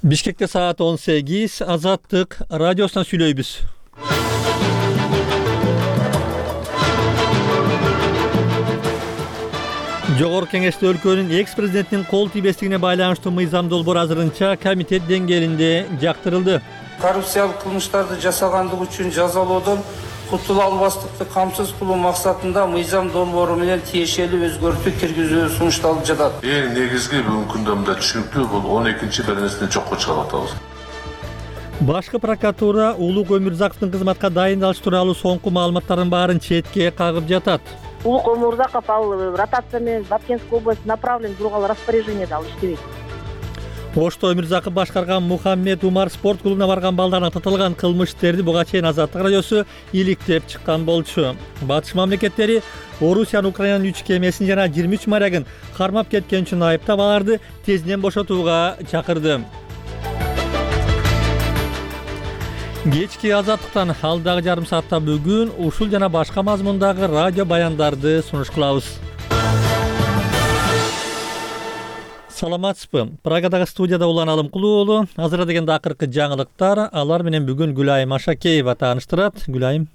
Бишкекте саат 18, Азаттык радиосунан сүйлөйбүз. Жогорку Кеңеште өлкөнүн экс-президентинин кол тийбестигине байланыштуу мыйзам долбоор азырынча комитет деңгээлинде жактырылды. Коррупциялык кылмыштарды жасагандык үчүн жазалоодон кутула албастыкты камсыз кылуу максатында мыйзам долбоору менен тиешелүү өзгөртүү киргизүү сунушталып жатат. Эң негизги бүгүнкү күндө түшүнүктүү бул 12 беренесинен жокко чыгарып атабыз. Башкы прокуратура Улук Өмүрзаковдун кызматка дайындалыш тууралуу соңку маалыматтардын баарын четке кагып жатат. Улук Өмүрзаков ал ротация менен Баткенская область направлен, бирок ал распоряжение ал иштебейт. Ошто Өмүрзаков башкарган Мухаммед Умар спорт клубуна барган балдарына татылган кылмыш иштерди буга чейин Азаттык радиосу иликтеп чыккан болчу. Батыш мамлекеттери Орусиянын Украинанын 3 кемесин жана 23 морягын кармап кеткен үчүн айыптап аларды тезинен бошотууга чакырды. Кечки Азаттыктан алдагы жарым саатта бүгүн ушул жана башка мазмундагы радио баяндарды сунуш кылабыз. Саламатсызбы? Прагадагы студияда Улан Алымкулуу уулу. Азыр дегенде акыркы жаңылыктар, алар менен бүгүн Гүлайым Ашакеева тааныштырат. Гүлайым.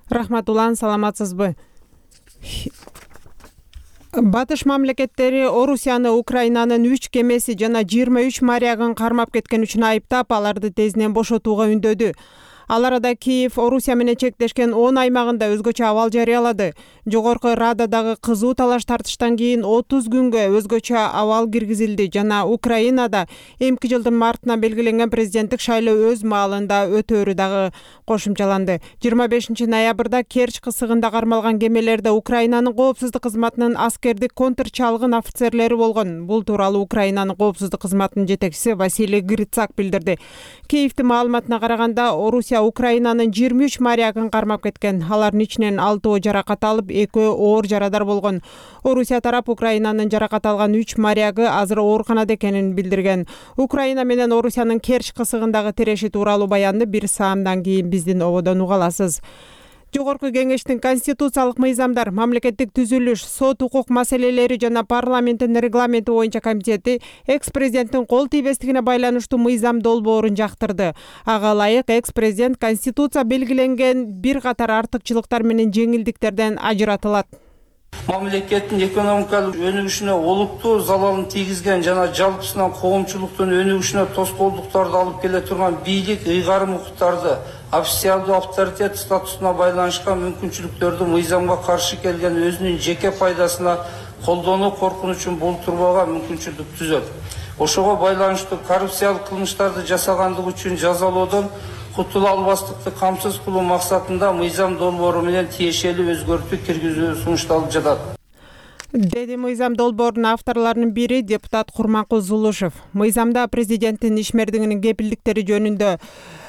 Рахмат Улан, саламатсызбы? Батыш мамлекеттери Орусияны Украинанын 3 кемеси жана 23 морягын кармап кеткен үчүн айыптап, аларды тезинен бошотууга үндөдү. Ал арада Киев Орусия менен чектешкен 10 аймагында өзгөчө абал жарыялады. Жогорку Рададагы кызуу талаш тартыштан кийин 30 күнгө өзгөчө абал киргизилди жана Украинада эмки жылдын мартына белгиленген президенттик шайлоо өз маалында өтөөрү дагы кошумчаланды. 25 ноябрда Керчь кысыгында кармалган кемелерде Украинанын коопсуздук кызматынын аскердик контрчалгын офицерлери болгон. Бул тууралуу Украинанын коопсуздук кызматынын жетекчиси Василий Грицак билдирди. Киевдин маалыматына караганда Орусия Украинанын 23 морягын кармап кеткен. Алардын ичинен 6 жаракат алып, 2 оор жарадар болгон. Орусия тарап Украинанын жаракат алган 3 морягы азыр ооруканада экенин билдирген. Украина менен Орусиянын Керчь кысыгындагы тиреши тууралуу баянды бир саамдан кийин биздин ободон уга аласыз. Жогорку Кеңештин конституциялык мыйзамдар, мамлекеттик түзүлүш, сот укук маселелери жана парламенттин регламенти боюнча комитети экс-президенттин кол тийбестигине байланыштуу мыйзам долбоорун жактырды. Ага ылайык экс-президент конституция белгиленген бир катар артыкчылыктар менен жеңилдиктерден ажыратылат. Мамлекеттин экономикалык өнүгүшүнө олуттуу залалын тийгизген жана жалпысынан коомчулуктун өнүгүшүнө тоскоолдуктарды алып келе турган бийлик ыйгарым укуктарды, официалдуу авторитет статусуна байланышкан мүмкүнчүлүктөрдү мыйзамга каршы келген өзүнүн жеке пайдасына колдонуу коркунучун болтурбага мүмкүнчүлүк түзөт. Ошого байланыштуу коррупциялык кылмыштарды жасагандык үчүн жазалоодон кутула албастыкты камсыз кылуу максатында мыйзам долбоору менен тиешелүү өзгөртүү киргизүү сунушталып жатат. Деди мыйзам долбоорунун авторлорунун бири депутат Курманкул Зулушев. Мыйзамда президенттин ишмердигинин кепилдиктери жөнүндө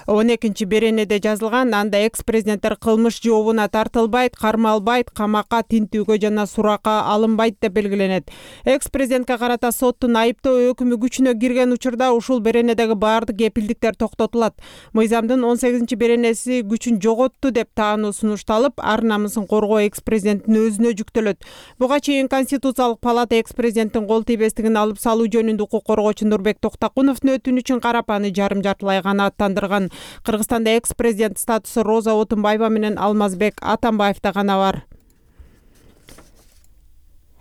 12 беренеде жазылган. Анда экс-президенттер кылмыш жообуна тартылбайт, кармалбайт, камакка, тинтүүгө жана суракка алынбайт деп белгиленет. Экс-президентке карата соттун айыптоо өкүмү күчүнө кирген учурда ушул беренедеги баардык кепилдиктер токтотулат. Мыйзамдын 18 беренеси күчүн жоготту деп таануу сунушталып, ар намысын коргоо экс-президенттин өзүнө жүктөлөт. Буга чейин Конституциялык палата экс-президенттин кол тийбестигин алып салуу жөнүндө укук коргоочу Нурбек Токтакуновдун өтүнүчүн карап, аны жарым-жартылай канааттандырган. Кыргызстанда экс-президент статусу Роза Отунбаева менен Алмазбек Атамбаевда гана бар.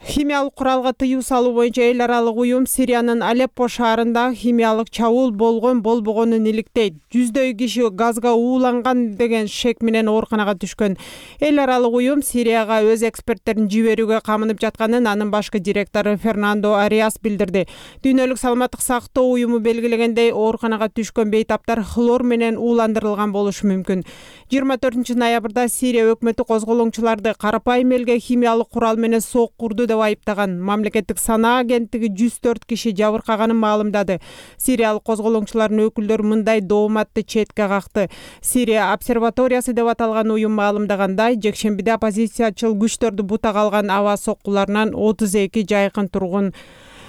Химиялык куралга тыюу салуу боюнча эл аралык уюм Сириянын Алеппо шаарында химиялык чабуул болгонун иликтейт. 100дөй киши газга ууланган деген шек менен ооруканага түшкөн. Эл аралык уюм Сирияга өз эксперттерин жиберүүгө камынып жатканын анын башкы директору Фернандо Ариас билдирди. Дүйнөлүк саламаттык сактоо уюму белгилегендей, ооруканага түшкөн бейтаптар хлор менен ууландырылган болушу мүмкүн. 24 ноябрда Сирия өкмөтү козголоңчуларды карапайым элге химиялык курал менен соккурду деп айыптаган. Мамлекеттик санаа агенттиги 104 киши жабыркаганын маалымдады. Сириялык козголоңчулардын өкүлдөрү мындай дооматты четке какты. Сирия обсерваториясы деп аталган уюм маалымдагандай, жекшембиде оппозициячыл күчтөрдү бутага алган аба соккуларынан 32 жайкын тургун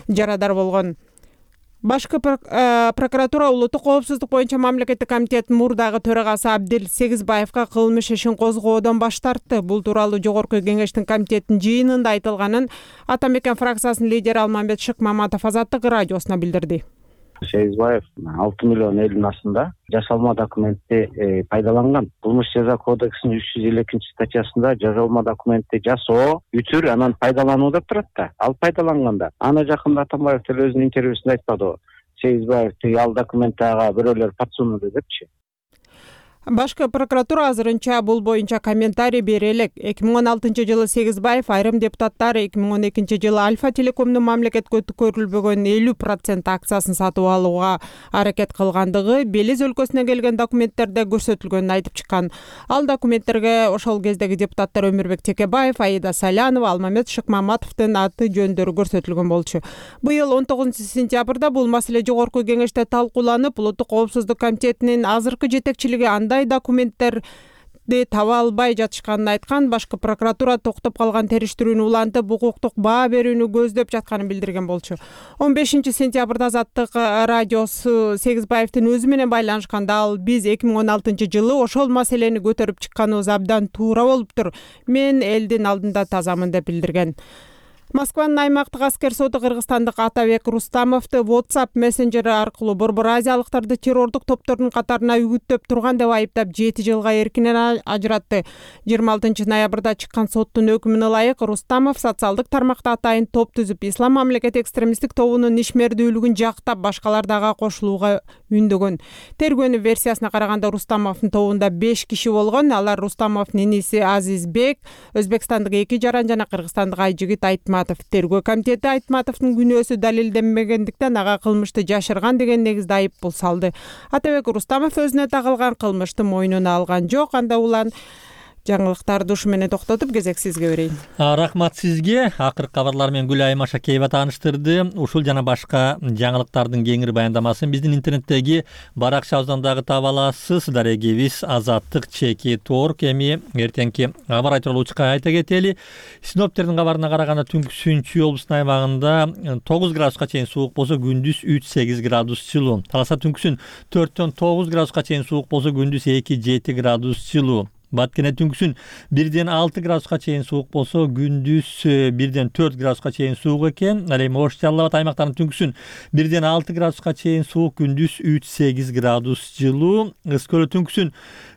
жарадар болгон. Башкы прокуратура улуттук коопсуздук боюнча мамлекеттик комитеттин мурдагы төрагасы Абдил Сегизбаевга кылмыш ишин козгоодон баш тартты. Бул тууралуу Жогорку Кеңештин комитеттин жыйынында айтылганын Ата Мекен фракциясынын лидери Алмамбет Шыкмаматов Азаттык радиосуна билдирди. Сегизбаев 6 миллион элдин астында жасалма документти пайдаланган. Кылмыш жаза кодексинин 352 статьясында жасалма документти жасоо, бүтүр, анан пайдалануу деп турат да. Ал пайдаланганда. Аны жакында Атамбаев деле өзүнүн интервьюсунда айтпадыбы? Сегизбаев ал документти ага бирөөлөр подсунулду депчи. Башкы прокуратура азырынча бул боюнча комментарий бере элек. 2016-жылы Сегизбаев айрым депутаттар 2012-жылы Альфа Телекомдун мамлекетке өткөрүлбөгөн 50% акциясын сатып алууга аракет кылгандыгы Белиз өлкөсүнөн келген документтерде көрсөтүлгөнүн айтып чыккан. Ал документтерге ошол кездеги депутаттар Өмүрбек Текебаев, Аида Салянова, Алмамет Шыкмаматовдун аты жөндөрү көрсөтүлгөн болчу. Быйыл 19-сентябрда бул маселе жогорку кеңеште талкууланып, Улуттук коопсуздук комитетинин азыркы жетекчилиги андай документтерди таба албай жатышканын айткан. Башкы прокуратура токтоп калган териштирүүнү улантып, укуктук баа берүүнү көздөп жатканын билдирген болчу. 15-сентябрда Азаттык радиосу Сегизбаевдин өзү менен байланышканда ал биз 2016-жылы ошол маселени көтөрүп чыкканыбыз абдан туура болуптур. Мен элдин алдында тазамын деп билдирген. Москванын аймактык аскер соты кыргызстандык Атабек Рустамовду WhatsApp мессенджери аркылуу Борбор Азиялыктарды террордук топтордун катарына үгүттөп турган деп айыптап 7 жылга эркинен ажыратты. 26 ноябрда чыккан соттун өкүмүнө ылайык Рустамов социалдык тармакта атайын топ түзүп, Ислам мамлекети экстремисттик тобунун ишмердүүлүгүн жактап, башкалар дагы кошулууга үндөгөн. Тергөөнүн версиясына караганда Рустамовдун тобунда 5 киши болгон. Алар Рустамовдун иниси Азизбек, Өзбекстандык 2 жаран жана Кыргызстандык Айжигит Айтматов. Тергөө комитети Айтматовдун күнөөсү далилденбегендиктен ага кылмышты жашырган деген негизде айып бул салды. Атабек Рустамов өзүнө тагылган кылмышты мойнуна алган жок. Анда улан жаңылыктарды ушу менен токтотуп кезек сизге берейин. Рахмат сизге. Акыркы кабарлар менен Гүлайым Ашакеева тааныштырды. Ушул жана башка жаңылыктардын кеңири баяндамасын биздин интернеттеги баракчабыздан дагы таба аласыз. Дарегибиз azattik.org. Эми эртеңки кабар айтуулуу учка айта кетели. Синоптиктердин кабарына караганда Түнкү облусунун аймагында 9 градуска чейин суук болсо, күндүз 3-8 градус жылуу. Таласа Түнкүсүн 4-төн 9 градуска чейин суук болсо, күндүз 2-7 градус жылуу. Баткене Түнкүсүн 1-ден 6 градуска чейин суук болсо, күндүз 1-ден 4 градуска чейин суук экен. Ал эми Ош Жалал Абад аймактарынын Түнкүсүн 1-ден 6 градуска чейин суук, күндүз 3-8 градус жылуу. Ызкөлө Түнкүсүн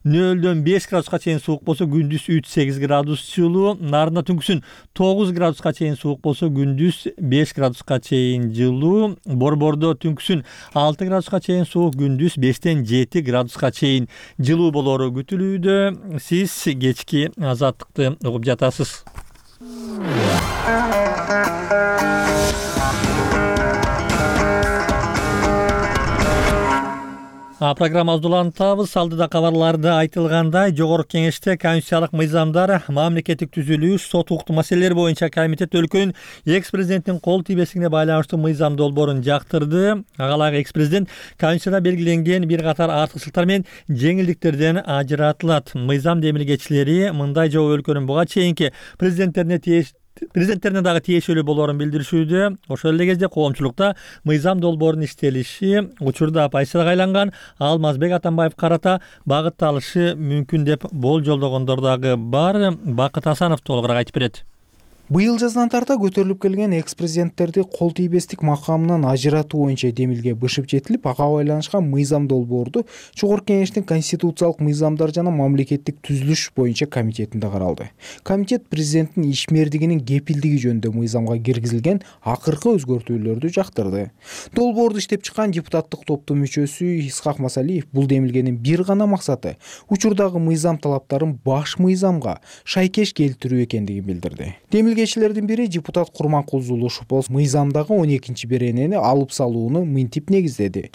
0-дөн 5 градуска чейин суук болсо, күндүз 3-8 градус жылуу. Нарында Түнкүсүн 9 градуска чейин суук болсо, күндүз 5 градуска чейин жылуу. Борбордо Түнкүсүн 6 градуска чейин суук, күндүз 5-тен 7 градуска чейин жылуу болору күтүлүүдө. Сиз кечки азаттыкты угуп жатасыз. Программабызды улантабыз. Алдыда кабарларда айтылгандай, жогорку кеңеште конституциялык мыйзамдар, мамлекеттик түзүлүш, сот укуктук маселелер боюнча комитет өлкөнүн экс-президенттин кол тийбестигине байланыштуу мыйзам долбоорун жактырды. Агалайык экс-президент конституцияда белгиленген бир катар артыкчылыктар менен жеңилдиктерден ажыратылат. Мыйзам демилгечилери мындай жооп өлкөнүн буга чейинки президенттерине дагы тиешелүү болоорун билдиришүүдө. Ошол эле кезде коомчулукта мыйзам долбоорунун иштелиши учурда оппозицияга айланган Алмазбек Атамбаев карата багытталышы мүмкүн деп болжолдогондор дагы бар. Бакыт Асанов толугураак айтып берет. Быйыл жаздан тарта көтөрүлүп келген экс-президенттерди кол тийбестик макамынан ажыратуу боюнча демилге бышып жетилип, ага байланышкан мыйзам долбоорду жогорку кеңештин конституциялык мыйзамдар жана мамлекеттик түзүлүш боюнча комитетинде каралды. Комитет президенттин ишмердигинин кепилдиги жөнүндө мыйзамга киргизилген акыркы өзгөртүүлөрдү жактырды. Долбоорду иштеп чыккан депутаттык топтун мүчөсү Исхак Масалиев бул демилгенин бир гана максаты учурдагы мыйзам талаптарын баш мыйзамга шайкеш келтирүү экендигин билдирди. Демилгечилердин бири депутат Курманкулзулу Шупол мыйзамдагы 12-беренени алып салууну мынтип негиздеди.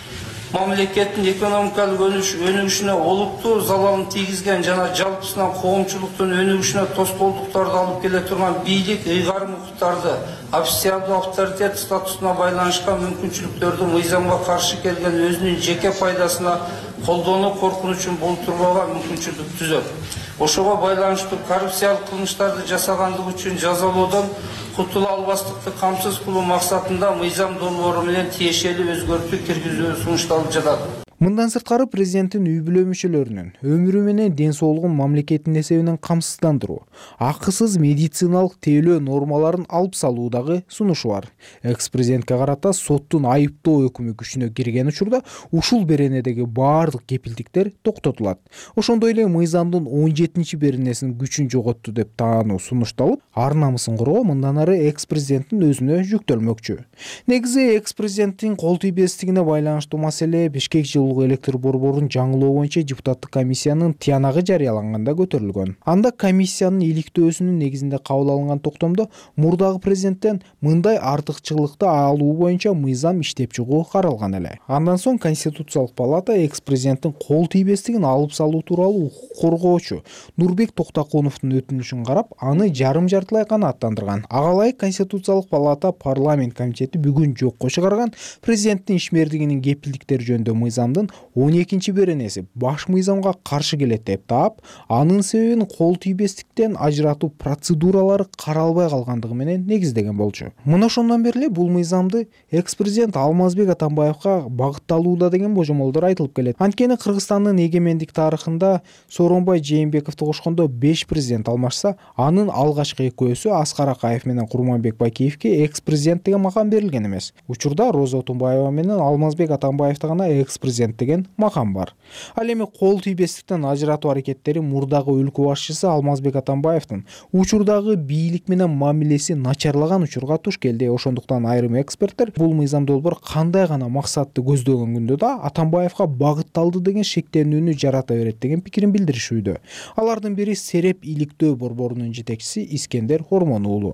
Мамлекеттин экономикалык өнүгүшүнө олуттуу залалын тийгизген жана жалпысынан коомчулуктун өнүгүшүнө тоскоолдуктарды алып келе турган бийлик, ыйгарым укуктарды, официалдуу авторитет статусуна байланышкан мүмкүнчүлүктөрдү мыйзамга каршы келген өзүнүн жеке пайдасына колдонуу коркунучун болтурбага мүмкүнчүлүк түзөт. Ошого байланыштуу коррупциялык кылмыштарды жасагандыгы үчүн жазалоодон кутула албастыкты камсыз кылуу максатында мыйзам долбоору менен тиешелүү өзгөртүү киргизүү сунушталып жатат. Мындан сырткары президенттин үй бүлө мүчөлөрүнүн өмүрү менен ден соолугун мамлекеттин эсебинен камсыздандыруу, акысыз медициналык тейлөө нормаларын алып салуу дагы сунушу бар. Экс-президентке карата соттун айыптоо өкүмү күчүнө кирген учурда ушул беренедеги баардык кепилдиктер токтотулат. Ошондой эле мыйзамдын 17-беренесин күчүн жоготту деп таануу сунушталып, ар намысын коргоо мындан ары экс-президенттин өзүнө жүктөлмөкчү. Негизи экс-президенттин кол тийбестигине байланыштуу маселе Бишкек электр борборун жаңылоо боюнча депутаттык комиссиянын тыянагы жарыяланганда көтөрүлгөн. Анда комиссиянын иликтөөсүнүн негизинде кабыл алынган токтомдо мурдагы президенттен мындай артыкчылыкты алуу боюнча мыйзам иштеп чыгуу каралган эле. Андан соң Конституциялык палата экс-президенттин кол тийбестигин алып салуу тууралуу укук коргоочу Нурбек Токтокуновдун өтүнүшүн карап, аны жарым-жартылай канааттандырган. Ага ылайык Конституциялык палата парламент комитети бүгүн жокко чыгарган президенттин ишмердигинин кепилдиктери жөнүндө мыйзамдын 12-беренеси баш мыйзамга каршы келет деп таап, анын себебин кол тийбестиктен ажыратуу процедуралары каралбай калгандыгы менен негиздеген болчу. Мына ошондон бери эле бул мыйзамды экс-президент Алмазбек Атамбаевка багытталууда деген божомолдор айтылып келет. Анткени Кыргызстандын эгемендик тарыхында Сооронбай Жээнбековду кошкондо 5 президент алмашса, анын алгачкы экөөсү Аскар Акаев менен Курманбек Бакиевке экс-президент деген макам берилген эмес. Учурда Роза Отунбаева менен Алмазбек Атамбаевда гана экс-президент деген макам бар. Ал эми кол тийбестиктен ажыратуу аракеттери мурдагы өлкө башчысы Алмазбек Атамбаевдин учурдагы бийлик менен мамилеси начарлаган учурга туш келди. Ошондуктан айрым эксперттер бул мыйзам долбоор кандай гана максатты көздөгөн күндө да Атамбаевга багытталды деген шектенүүнү жарата берет деген пикирин билдиришүүдө. Алардын бири Сереп иликтөө борборунун жетекчиси Искендер Ормон уулу.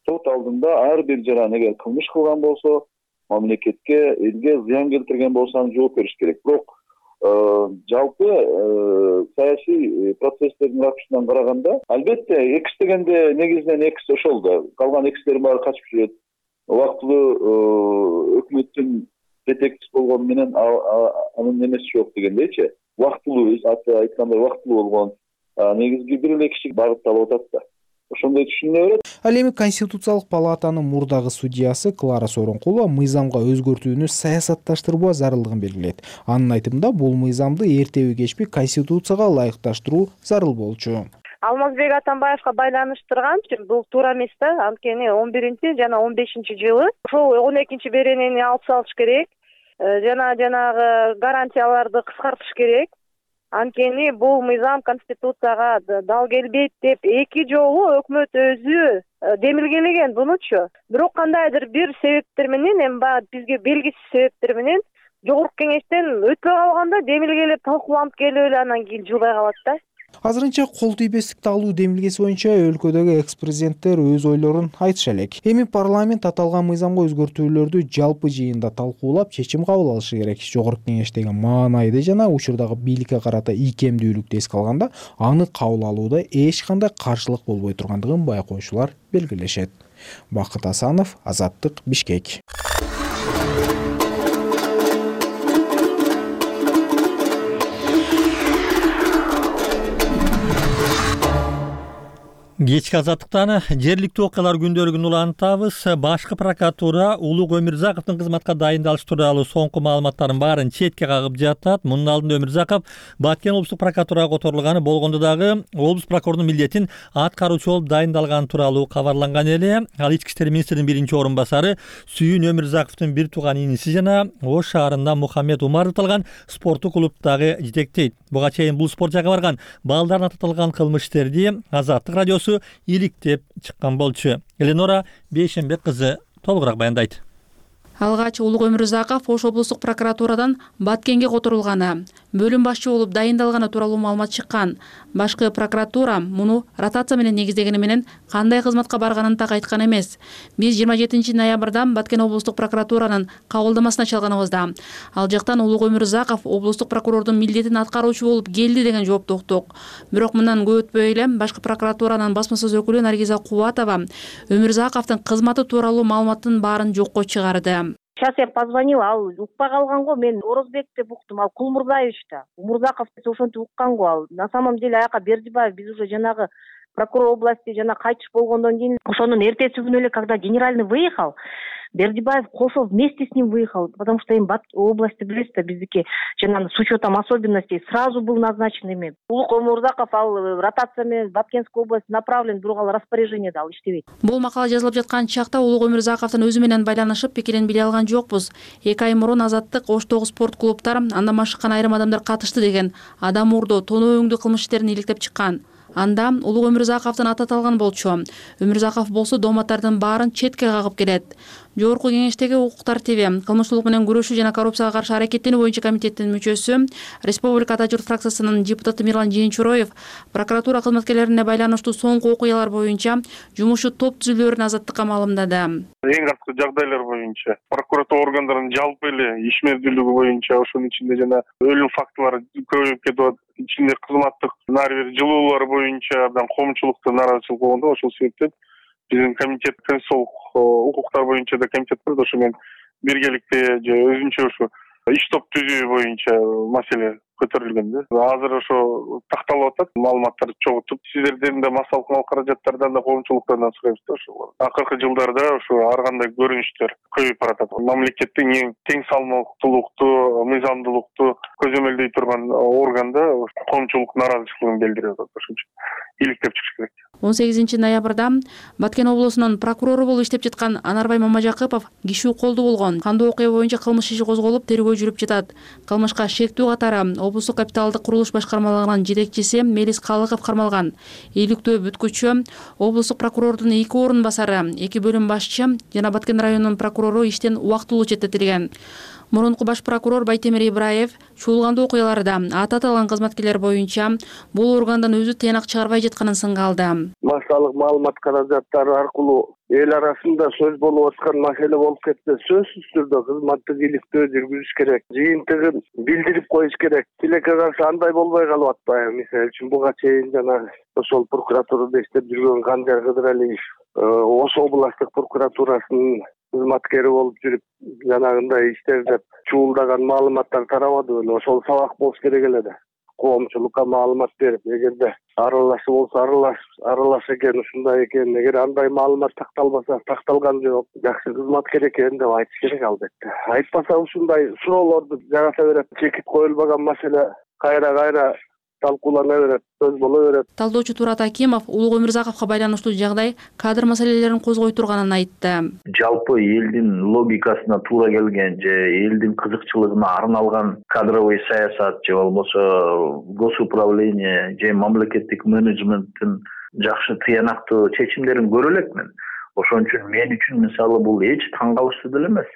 Сот алдында ар бир жаран эгер кылмыш кылган болсо, мамлекетке, элге зыян келтирген болсо жооп бериш керек. Бирок жалпы саясий процесстердин ракурсунан караганда, албетте экс дегенде негизинен экс ошол да. Калган экстердин баары качып жүрөт. Убактылуу өкмөттүн жетекчиси болгону менен анын немеси жок дегендейчи. Убактылуу, айткандай убактылуу болгон негизги бир эле киши багытталып атат да. Ошондой түшүнүлө берет. Ал эми Конституциялык палатанын мурдагы судьясы Клара Сооронкулова мыйзамга өзгөртүүнү саясатташтырбоо зарылдыгын белгилейт. Анын айтымында бул мыйзамды эртеби кечпи Конституцияга ылайыкташтыруу зарыл болчу. Алмазбек Атамбаевга байланыштырган бул туура эмес да. Анткени 11 жана 15-жылы ошол 12-беренени алып салыш керек. Жанагы гарантияларды кыскартыш керек. Анткени бул мыйзам Конституцияга дал келбейт деп эки жолу өкмөт өзү демилгелеген бунучу. Бирок кандайдыр бир себептер менен, эми бизге белгисиз себептер менен жогорку кеңештен өтпөй калганда демилгелеп талкууланып келип эле анан кийин жылбай калат да. Азырынча кол тийбестикти алуу демилгеси боюнча өлкөдөгү экс-президенттер өз ойлорун айтыша элек. Эми парламент аталган мыйзамга өзгөртүүлөрдү жалпы жыйында талкуулап, чечим кабыл алышы керек. Жогорку кеңештеги маанайды жана учурдагы бийликке карата ийкемдүүлүктү эске алганда, аны кабыл алууда эч кандай каршылык болбой тургандыгын байкоочулар белгилешет. Бакыт Асанов, Азаттык, Бишкек. Кечки Азаттыктан жергиликтүү окуялар күндөлүгүн улантабыз. Башкы прокуратура Улук Өмүрзаковдун кызматка дайындалышы тууралуу соңку маалыматтардын баарын четке кагып жатат. Мунун алдында Өмүрзаков Баткен облустук прокуратурага которулганы болгондо дагы облус прокурорунун милдетин аткаруучу болуп дайындалганы тууралуу кабарланган эле. Ал ички иштер министринин биринчи орун басары Сүйүн Өмүрзаковдун бир тууган иниси жана Ош шаарында Мухаммед Умар аталган спорттук клубдагы жетектейт. Буга чейин бул спорт жайга барган балдарына татылган кылмыш иштерди Азаттык радиосу иликтеп чыккан болчу. Эленора Бейшенбек кызы толугураак баяндайт. Алгач Улук Өмүрзаков Ош облустук прокуратурадан Баткенге которулганы, бөлүм башчы болуп дайындалганы тууралуу маалымат чыккан. Башкы прокуратура муну ротация менен негиздегени менен кандай кызматка барганын так айткан эмес. Биз 27 ноябрда Баткен облустук прокуратуранын кабылдамасына чалганыбызда ал жактан Улук Өмүрзаков облустук прокурордун милдетин аткаруучу болуп келди деген жоопту уктук. Бирок мындан көп өтпөй эле башкы прокуратуранын басма сөз өкүлү Наргиза Кубатова Өмүрзаковдун кызматы тууралуу маалыматтын баарын жокко чыгарды. Сейчас я позвонила, ал укпай калган го, мен Орозбек деп уктум, ал Кулмурзаевич да. Умурзаков ошентип уккан го ал. На самом деле аяка Бердибаев биз уже жанагы прокурор области жана кайтыш болгондон кийин ошонун эртеси күнү эле, когда генеральный выехал, Бердибаев Кошов вместе с ним выехал, потому что им области билесиз да, биздики жана с учетом особенностей сразу был назначен эми. Улук Өмүрзаков ал ротация менен Баткенская область направлен, бирок ал распоряжение да ал иштебейт. Бул макала жазылып жаткан чакта Улук Өмүрзаковдун өзү менен байланышып пикирин биле алган жокпуз. 2 ай мурун Азаттык Оштогу спорт клубтар андан машыккан айрым адамдар катышты деген адам уурдоо, тоноо өңдүү кылмыш иштерин иликтеп чыккан. Анда Улук Өмүрзаковдун аты аталган болчу. Өмүрзаков болсо дооматтардын баарын четке кагып келет. Жогорку кеңештеги укук тартиби, кылмыштуулук менен күрөшүү жана коррупцияга каршы аракеттенүү боюнча комитеттин мүчөсү, Республика Ата журт фракциясынын депутаты Мирлан Жээнчуроев прокуратура кызматкерлерине байланыштуу соңку окуялар боюнча жумушу топ түзүлөөрүн Азаттыкка маалымдады. Эң арткы жагдайлар боюнча прокуратура органдарынын жалпы эле ишмердүүлүгү боюнча ошонун ичинде жана өлүм фактылары көбөйүп кетип атат. Ичинде кызматтык ар бир жылуулар боюнча абдан коомчулуктун нааразычылыгы болгондо ошол себептен биздин комитет конституциялык укуктар боюнча да комитет бар, ошо менен биргеликте же өзүнчө ушу иш топ түзүү боюнча маселе көтөрүлгөн да. Азыр ошо такталып атат, маалыматтарды чогултуп, сиздерден да массалык каражаттардан да коомчулуктардан сурайбыз да ошол. Акыркы жылдарда ошо ар кандай көрүнүштөр көбөйүп баратат. Мамлекеттин эң тең салмактуулукту, мыйзамдуулукту көзөмөлдөй турган органда коомчулук нааразычылыгын билдирип атат. Ошончо иликтеп чыгыш керек. 18 ноябрда Баткен облусунун прокурору болуп иштеп жаткан Анарбай Мамажакыпов киши колду болгон. Кандуу окуя боюнча кылмыш иши козголуп, тергөө жүрүп жатат. Кылмышка шектүү катары облустук капиталдык курулуш башкармалыгынын жетекчиси Мелис Калыков кармалган. Ийгиликтүү бүткүчү, облустук прокурордун 2 орун басары, 2 бөлүм башчы жана Баткен районунун прокурору иштен убактылуу четтетилген. Мурунку баш прокурор Байтемир Ибраев чуулгандуу окуяларда аты аталган кызматкерлер боюнча бул органдан өзү тыянак чыгарбай жатканын сынга алды. Массалык маалымат каражаттары аркылуу эл арасында сөз болуп аткан маселе болуп кетсе, сөзсүз түрдө кызматтык иликтөө жүргүзүш керек, жыйынтыгын билдирип коюш керек. Тилекке каршы андай болбой калып атпайбы? Мисалы үчүн буга чейин жана ошол прокуратурада иштеп жүргөн Кандияр Кыдыралиев Ош областтык прокуратурасынын кызматкери болуп жүрүп, жанагындай иштер деп чуулдаган маалыматтар тарабады беле? Ошол сабак болуш керек эле да. Коомчулукка маалымат берип, эгерде аралашы болсо аралаш экен, ушундай экен, эгер андай маалымат такталбаса, такталган жок, жакшы кызматкер экен деп айтыш керек албетте. Айтпаса ушундай суроолорду жарата берет, чекит коюлбаган маселе кайра талкуулана берет, сөз боло берет. Талдоочу Турат Акимов Улук Өмүрзаковго байланыштуу жагдай кадр маселелерин козгой турганын айтты. Жалпы элдин логикасына туура келген же элдин кызыкчылыгына арналган кадровый саясат же болбосо госуправление же мамлекеттик менеджменттин жакшы тыянактуу чечимдерин көрө элекмин. Ошон үчүн мен үчүн мисалы бул эч таң калыштуу деле эмес.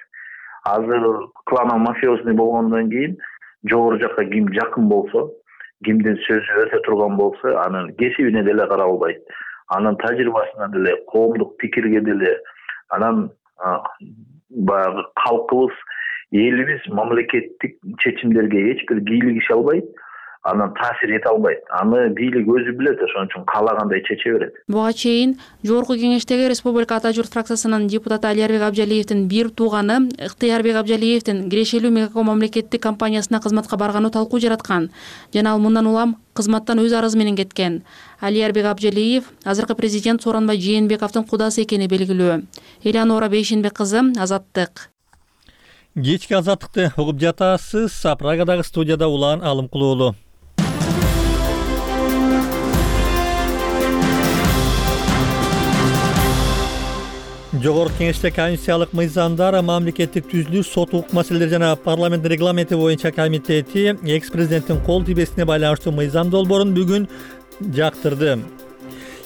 Азыр клан мафиозный болгондон кийин жогору жакка ким жакын болсо, кимдин сөзү өтө турган болсо, анын кесибине деле каралбайт, анын тажрыйбасына деле, коомдук пикирге деле, анан баягы калкыбыз, элибиз мамлекеттик чечимдерге эч бир кийлигише албайт, анан таасир эте албайт. Аны бийлик өзү билет, ошон үчүн каалагандай чече берет. Буга чейин жогорку кеңештеги Республика Ата журт фракциясынын депутаты Алиярбек Абжалиевдин бир тууганы Ыктыярбек Абжалиевдин Кирешелүү Мегако мамлекеттик компаниясына кызматка барганы талкуу жараткан жана ал мындан улам кызматтан өз арызы менен кеткен. Алиярбек Абжалиев азыркы президент Сооронбай Жээнбековдун кудасы экени белгилүү. Элеонора Бейшенбек кызы, Азаттык. Кечки Азаттыкты угуп жатасыз. Прагадагы студияда Улан Алымкулуулу. Жогорку кеңеште конституциялык мыйзамдар, мамлекеттик түзүлүш, сот укук маселелери жана парламент регламенти боюнча комитети экс-президенттин кол тийбесине байланыштуу мыйзам долбоорун бүгүн жактырды.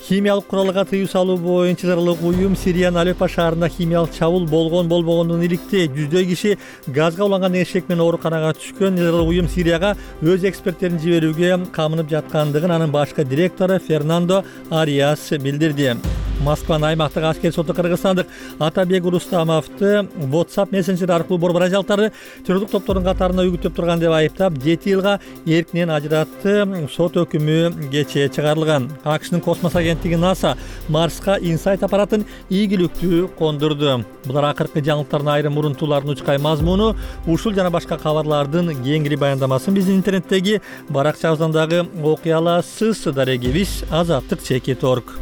Химиялык куралга тыюу салуу боюнча зарылык уюм Сириянын Алеппо шаарында химиялык чабуул болгондугун иликтей. Жүздөй киши газга уланган эшек менен ооруканага түшкөн. Зарылык уюм Сирияга өз эксперттерин жиберүүгө камынып жаткандыгын анын башкы директору Фернандо Ариас билдирди. Москванын аймактык аскер соту кыргызстандык Атабек Рустамовду WhatsApp мессенджер аркылуу борбор ажалттары террорлук топторунун катарына үгүттөп турган деп айыптап, 7 жылга эркинен ажыратты. Сот өкүмү кечээ чыгарылган. АКШнын космос агенттиги НАСА Марска Инсайт аппаратын ийгиликтүү кондурду. Булар акыркы жаңылыктардын айрым мурунтуулардын учкай мазмуну, ушул жана башка кабарлардын кеңири баяндамасын биздин интернеттеги баракчабыздан дагы окуй аласыз. Дарегибиз Азаттык.org.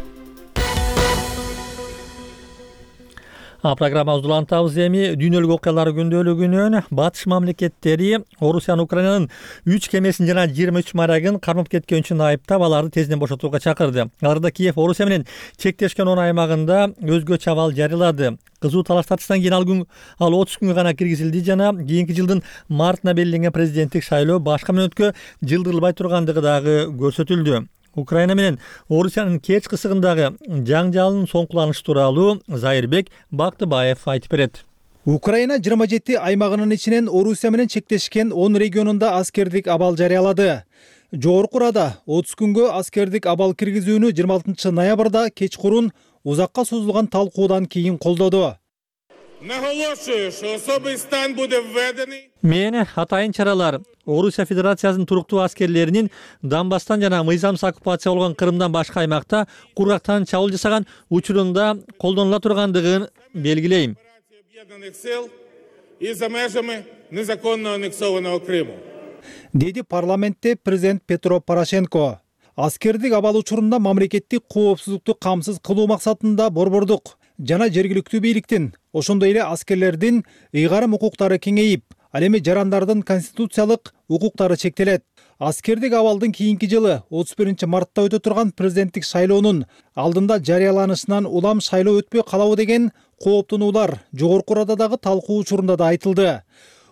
Программабызды улантабыз эми дүйнөлүк окуялар күндөлүгүнөн. Батыш мамлекеттери Орусиянын Украинанын 3 кемесин жана 23 морягын кармап кеткен үчүн айыптап, аларды тезден бошотууга чакырды. Аларда Киев Орусия менен чектешкен 10 аймагында өзгөчө абал жарыялады. Кызуу талаштатыштан кийин ал 30 күнгө гана киргизилди жана кийинки жылдын мартына белгиленген президенттик шайлоо башка мүнөткө жылдырылбай тургандыгы дагы көрсөтүлдү. Украина менен Орусиянын кеч кысыгындагы жаңжалын соңкуланышы тууралуу Зайырбек Бактыбаев айтып берет. Украина 27 аймагынын ичинен Орусия менен чектешкен 10 регионунда аскердик абал жарыялады. Жогорку Рада 30 күнгө аскердик абал киргизүүнү 26 ноябрда кечкурун узакка созулган талкуудан кийин колдоду. Мен атайын чаралар Орусия Федерациясынын туруктуу аскерлеринин Донбасстан жана мыйзамсыз оккупация болгон Крымдан башка аймакта кургактан чабуул жасаган учурунда колдонула тургандыгын белгилейм. Деди парламентте президент Петро Порошенко. Аскердик абал учурунда мамлекеттик коопсуздукту камсыз кылуу максатында борбордук жана жергиликтүү бийликтин, ошондой эле аскерлердин ыйгарым укуктары кеңейип, ал эми жарандардын конституциялык укуктары чектелет. Аскердик абалдын кийинки жылы 31 мартта өтө турган президенттик шайлоонун алдында жарыяланышынан улам шайлоо өтпөй калабы деген кооптонуулар Жогорку Рададагы талкуу учурунда да айтылды.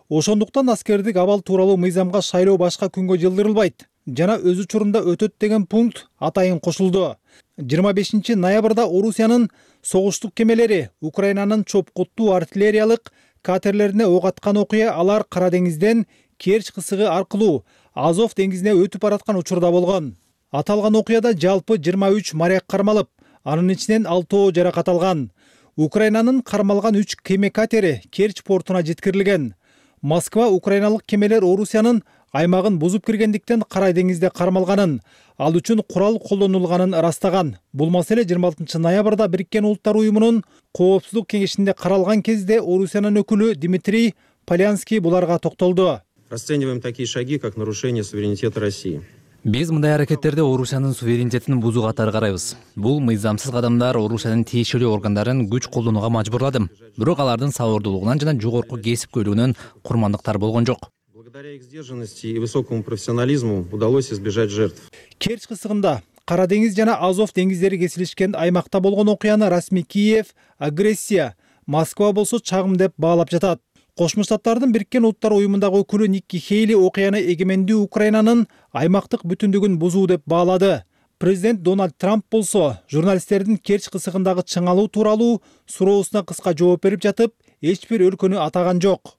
Ошондуктан аскердик абал тууралуу мыйзамга шайлоо башка күнгө жылдырылбайт жана өз учурунда өтөт деген пункт атайын кошулду. 25 ноябрда Орусиянын согуштук кемелери Украинанын чопкуттуу артиллериялык катерлерине ок аткан окуя алар Кара деңизден Керчь кысыгы аркылуу Азов деңизине өтүп бараткан учурда болгон. Аталган окуяда жалпы 23 моряк кармалып, анын ичинен 6 жаракат алган. Украинанын кармалган 3 кеме катери Керчь портуна жеткирилген. Москва украиналык кемелер Орусиянын аймагын бузуп киргендиктен Кара деңизде кармалганын, ал үчүн курал колдонулганын ырастаган. Бул маселе 26 ноябрда Бириккен Улуттар уюмунун коопсуздук кеңешинде каралган кезде Орусиянын өкүлү Дмитрий Полянский буларга токтолду. Расцениваем такие шаги, как нарушение суверенитета России. Биз мындай аракеттерди Орусиянын суверенитетин бузуу катары карайбыз. Бул мыйзамсыз кадамдар Орусиянын тиешелүү органдарын күч колдонууга мажбурлады. Бирок алардын сабырдуулугунан жана жогорку кесипкөйлүгүнөн курмандыктар болгон жок. Благодаря их сдержанности и высокому профессионализму удалось избежать жертв. Керчь кысыгында Кара деңиз жана Азов деңиздери кесилишкен аймакта болгон окуяны расмий Киев агрессия, Москва болсо чагым деп баалап жатат. Кошмо Штаттардын Бириккен Улуттар уюмундагы өкүлү Никки Хейли окуяны эгемендүү Украинанын аймактык бүтүндүгүн бузуу деп баалады. Президент Дональд Трамп болсо журналисттердин Керчь кысыгындагы чыңалуу тууралуу суроосуна кыска жооп берип жатып, эч бир өлкөнү атаган жок.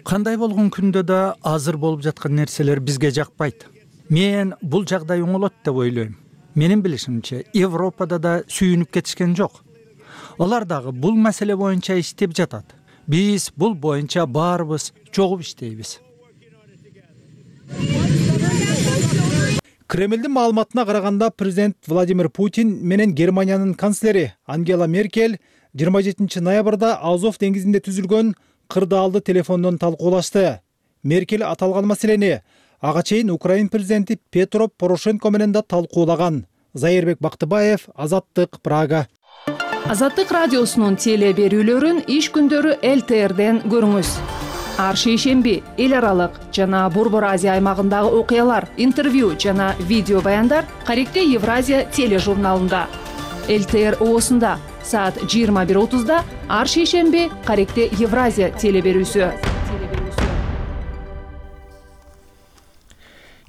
Кандай болгон күндө да азыр болуп жаткан нерселер бизге жакпайт. Мен бул жагдай оңолот деп ойлойм. Менин билишимче, Европада да сүйүнүп кетишкен жок. Алар дагы бул маселе боюнча иштеп жатат. Биз бул боюнча баарыбыз чогуп иштейбиз. Кремлдин маалыматына караганда президент Владимир Путин менен Германиянын канцлери Ангела Меркель 27 ноябрда Азов деңизинде түзүлгөн кырдаалды телефондон талкуулашты. Меркель аталган маселени ага чейин Украин президенти Петро Порошенко менен да талкуулаган. Зайырбек Бактыбаев, Азаттык, Прага. Азаттык радиосунун теле берүүлөрүн иш күндөрү ЛТРден көрүңүз. Ар шейшемби эл аралык жана Борбор Азия аймагындагы окуялар, интервью жана видео баяндар Каректе Евразия тележурналында. ЛТР оосунда саат 21:30 ар шейшемби Каректе Евразия теле берүүсү.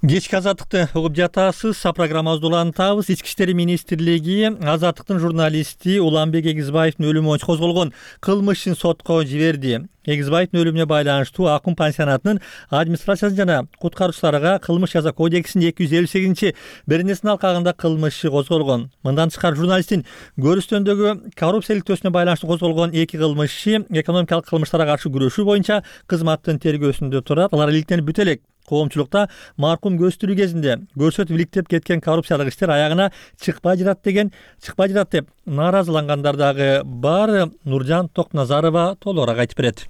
Кечки Азаттыкты угуп жатасыз. Программабызды улантабыз. Ички иштер министрлиги Азаттыктын журналисти Уланбек Эгизбаевдин өлүмү боюнча козголгон кылмыш ишин сотко жиберди. Эгизбаевдин өлүмүнө байланыштуу Акын пансионатынын администрациясы жана куткаруучуларга кылмыш жаза кодексинин 258-беренесинин алкагында кылмыш иши козголгон. Мындан тышкары журналисттин көрүстөндөгү коррупция иликтөөсүнө байланыштуу козголгон 2 кылмыш иши экономикалык кылмыштарга каршы күрөшүү боюнча кызматтын тергөөсүндө турат. Алар иликтенип бүтө элек. Коомчулукта маркум көз тирүү кезинде көрсөтүп иликтеп кеткен коррупциялык иштер аягына чыкпай жатат деп нааразылангандар дагы бар. Нуржан Токназарова толугураак айтып берет.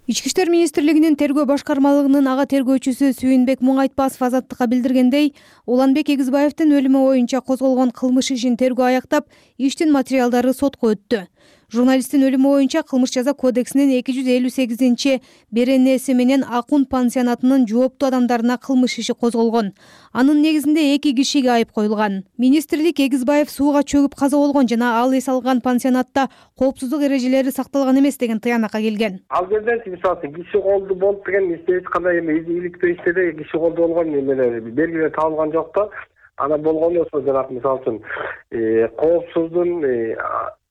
Ички иштер министрлигинин тергөө башкармалыгынын ага тергөөчүсү Сүйүнбек Муңайтпасов Азаттыкка билдиргендей, Уланбек Эгизбаевдин өлүмү боюнча козголгон кылмыш ишин тергөө аяктап, иштин материалдары сотко өттү. Журналисттин өлүмү боюнча Кылмыш жаза кодексинин 258 беренеси менен Акун пансионатынын жооптуу адамдарына кылмыш иши козголгон. Анын негизинде 2 кишиге айып коюлган. Министрлик Эгизбаев сууга чөгүп каза болгон жана ал эс алган пансионатта коопсуздук эрежелери сакталган эмес деген тыянакка келген. Ал жерден мисалы киши колду болуп деген эч кандай иликтөө иштерде киши колду болгон эмелер белгилер табылган жок да. Ана болгон болсо жанагы мисалы үчүн коопсуздун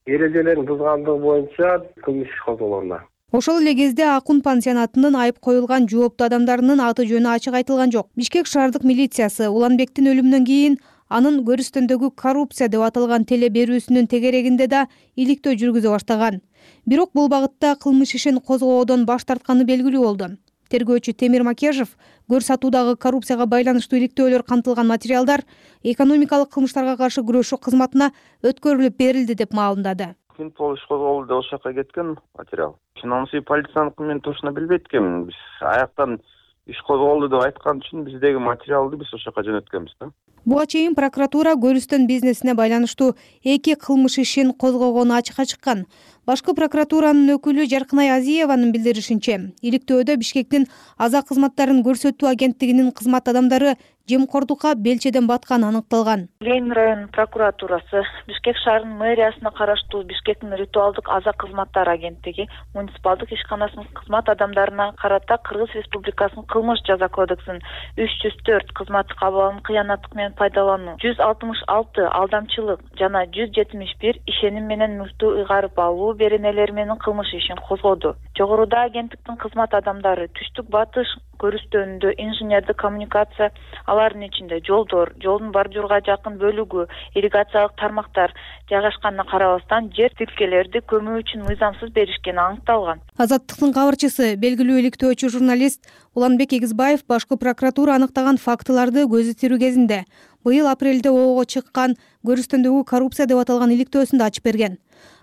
эрежелерин бузгандыгы боюнча кылмыш иш козголгон. Ошол эле кезде Акун пансионатынын айып коюлган жооптуу адамдарынын аты жөнү ачык айтылган жок. Бишкек шаардык милициясы Уланбектин өлүмүнөн кийин анын көрүстөндөгү коррупция деп аталган теле берүүсүнүн тегерегинде да иликтөө жүргүзө баштаган. Бирок бул багытта кылмыш ишин козгоодон баш тартканы белгилүү болду. Тергөөчү Темир Макежов көр сатуудагы коррупцияга байланыштуу иликтөөлөр камтылган материалдар экономикалык кылмыштарга каршы күрөшүү кызматына өткөрүлүп берилди деп маалымдады. Интерпол иш козголду деп ошол жака кеткен материал. Финансы полицияныкы мен точно билбейт экенмин. Биз аяктан иш козголду деп айткан үчүн биздеги материалды биз ошол жака жөнөткөнбүз да. Буга чейин прокуратура көрүстөн бизнесине байланыштуу 2 кылмыш ишин козгогону ачыкка чыккан. Башкы прокуратуранын өкүлү Жаркынай Азиеванын билдиришинче, иликтөөдө Бишкектин аза кызматтарын көрсөтүү агенттигинин кызмат адамдары жемкордукка белчеден батканы аныкталган. Ленин районунун прокуратурасы, Бишкек шаарынын мэриясына караштуу Бишкектин ритуалдык аза кызматтар агенттиги муниципалдык ишканасынын кызмат адамдарына карата Кыргыз Республикасынын кылмыш жаза кодексинин 304 кызматтык абалын кыянаттык менен пайдалануу, 166 алдамчылык жана 171 ишеним менен мүлктү ыйгарып алуу беренелери менен кылмыш ишин козгоду. Жогоруда агенттиктин кызмат адамдары түштүк батыш көрүстөөнүндө инженердик коммуникация, алардын ичинде жолдор, жолдун бордюрга жакын бөлүгү, ирригациялык тармактар жайгашканына карабастан жер тилкелерди көмүү үчүн мыйзамсыз беришкени аныкталган. Азаттыктын кабарчысы, белгилүү иликтөөчү журналист Уланбек Эгизбаев башкы прокуратура аныктаган фактыларды көзү тирүү кезинде быйыл апрелде ого чыккан көрүстөндөгү коррупция деп аталган иликтөөсүндө ачып берген.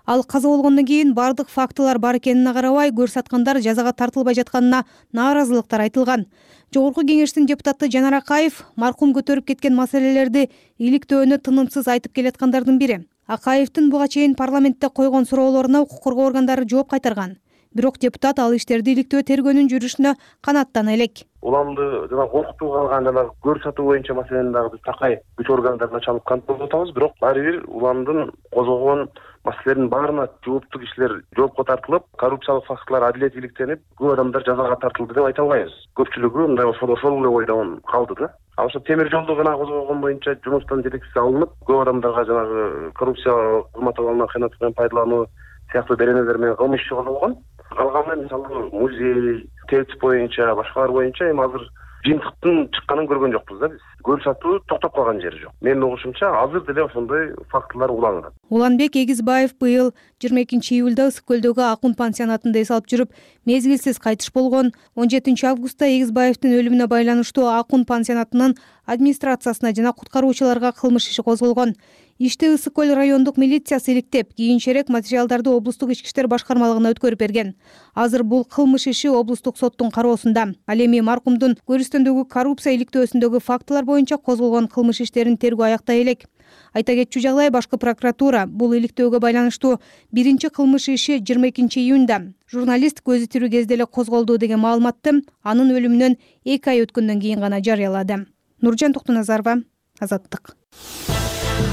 Ал каза болгондон кийин бардык фактылар бар экенине карабай көрсаткандар жазага тартылбай жатканына нааразылыктар айтылган. Жогорку кеңештин депутаты Жанар Акаев маркум көтөрүп кеткен маселелерди иликтөөнү тынымсыз айтып келаткандардын бири. Акаевдин буга чейин парламентте койгон суроолоруна укук коргоо органдары жооп кайтарган. Бирок депутат ал иштерди иликтөө тергөөнүн жүрүшүнө канаттана элек. Уламды жана коркутууга алган жана көрсөтүү боюнча маселени дагы биз такай күч органдарына чалып контролдоп атабыз, бирок баары бир уламдын козгогон маселелердин баарына жооптуу кишилер жоопко тартылып, коррупциялык фактылар адилет иликтенип, көп адамдар жазага тартылды деп айта албайбыз. Көпчүлүгү мындай ошол эле ойдон калды да. Ал ошо темир жолду гана козгогон боюнча жумуштан жетекчиси алынып, көп адамдарга жанагы коррупциялык кызмат абалынан кыянаттык менен пайдалануу сыяктуу беренелер менен кылмыш иши козголгон. Калганы мисалы музей, ТЭЦ боюнча, башкалар боюнча эми азыр жыйынтыктын чыкканын көргөн жокпуз да биз. Көрсөтүү токтоп калган жери жок. Менин угушумча азыр деле ошондой фактылар уланат. Уланбек Эгизбаев быйыл 22 июлда Ысык көлдөгү Акун пансионатында эс алып жүрүп, мезгилсиз кайтыш болгон. 17 августта Эгизбаевдин өлүмүнө байланыштуу Акун пансионатынын администрациясына жана куткаруучуларга кылмыш иши козголгон. Ишти Ысык көл райондук милициясы иликтеп, кийинчерээк материалдарды облустук ички иштер башкармалыгына өткөрүп берген. Азыр бул кылмыш иши облустук соттун кароосунда. Ал эми маркумдун көрүстөндөгү коррупция иликтөөсүндөгү фактылар боюнча козголгон кылмыш иштерин тергөө аяктай элек. Айта кетчү жагдай, башкы прокуратура бул иликтөөгө байланыштуу биринчи кылмыш иши 22 июнда журналист көзү тирүү кезде эле козголду деген маалыматты анын өлүмүнөн 2 ай өткөндөн кийин гана жарыялады. Нуржан Токтуназарова, Азаттык.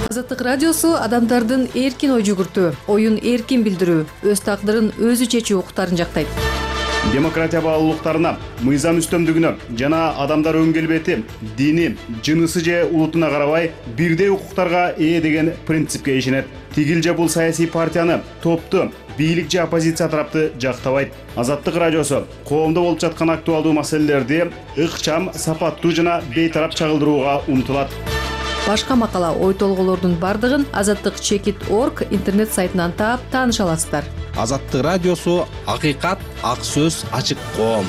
Азаттык радиосу адамдардын эркин ой жүгүртүү, оюн эркин билдирүү, өз тагдырын өзү чечүү укуктарын жактайт. Демократия баалуулуктарына, мыйзам үстөмдүгүнө жана адамдар өң келбети, дини, жынысы же улутуна карабай бирдей укуктарга ээ деген принципке ишенет. Тигил же бул саясий партияны, топту, бийлик же оппозиция тарапты жактабайт. Азаттык радиосу коомдо болуп жаткан актуалдуу маселелерди ыкчам, сапаттуу жана бейтарап чагылдырууга умтулат. Башка макала, ой толголордун бардыгын azattik.org интернет сайтынан таап тааныша аласыздар. Азаттык радиосу акыйкат, ак сөз, ачык коом.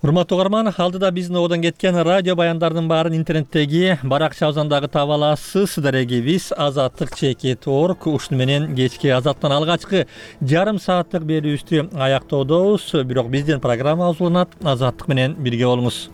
Урматтуу угарман, алдыда биздин одон кеткен радио баяндардын баарын интернеттеги баракча абзандагы таба аласыз. Дарегибиз azatlyk.org. Ушуну менен кечки Азаттан алгачкы жарым сааттык берүүбүздү аяктоодобуз. Бирок биздин программа уланат. Азаттык менен бирге болуңуз.